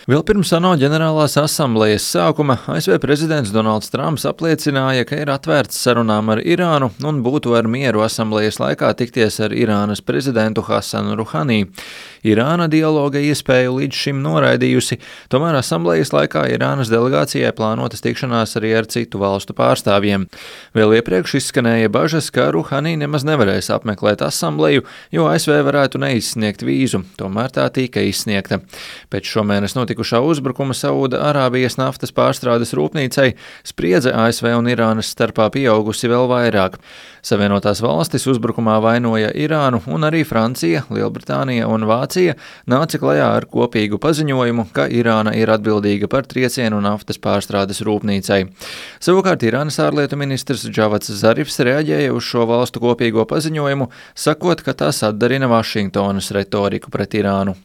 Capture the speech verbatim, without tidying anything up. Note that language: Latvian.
Vēl pirms ANO ģenerālās asamblejas sākuma A S V prezidents Donalds Trumps apliecināja, ka ir atvērts sarunām ar Irānu un būtu ar mieru asamblejas laikā tikties ar Irānas prezidentu Hasanu Ruhani. Irāna dialoga iespēju līdz šim noraidījusi, tomēr asamblejas laikā Irānas delegācijai plānotas tikšanās arī ar citu valstu pārstāvjiem. Vēl iepriekš izskanēja bažas, ka Ruhani nemaz nevarēs apmeklēt asambleju, jo A S V varētu neizsniegt vīzu, tomēr tā tika izsniegta. Pēc šomēnes notikušā uzbrukuma Saūda Arābijas naftas pārstrādes rūpnīcai spriedze A S V un Irānas starpā pieaugusi vēl vairāk. Savienotās valstis uzbrukumā vainoja Irānu, un arī Francija, Lielbritānija un Vācija nāca klajā ar kopīgu paziņojumu, ka Irāna ir atbildīga par triecienu naftas pārstrādes rūpnīcai. Savukārt Irānas ārlietu ministrs Džavats Zarifs reaģēja uz šo valstu kopīgo paziņojumu, sakot, ka tas atdarina Vašingtonas retoriku pret Irānu.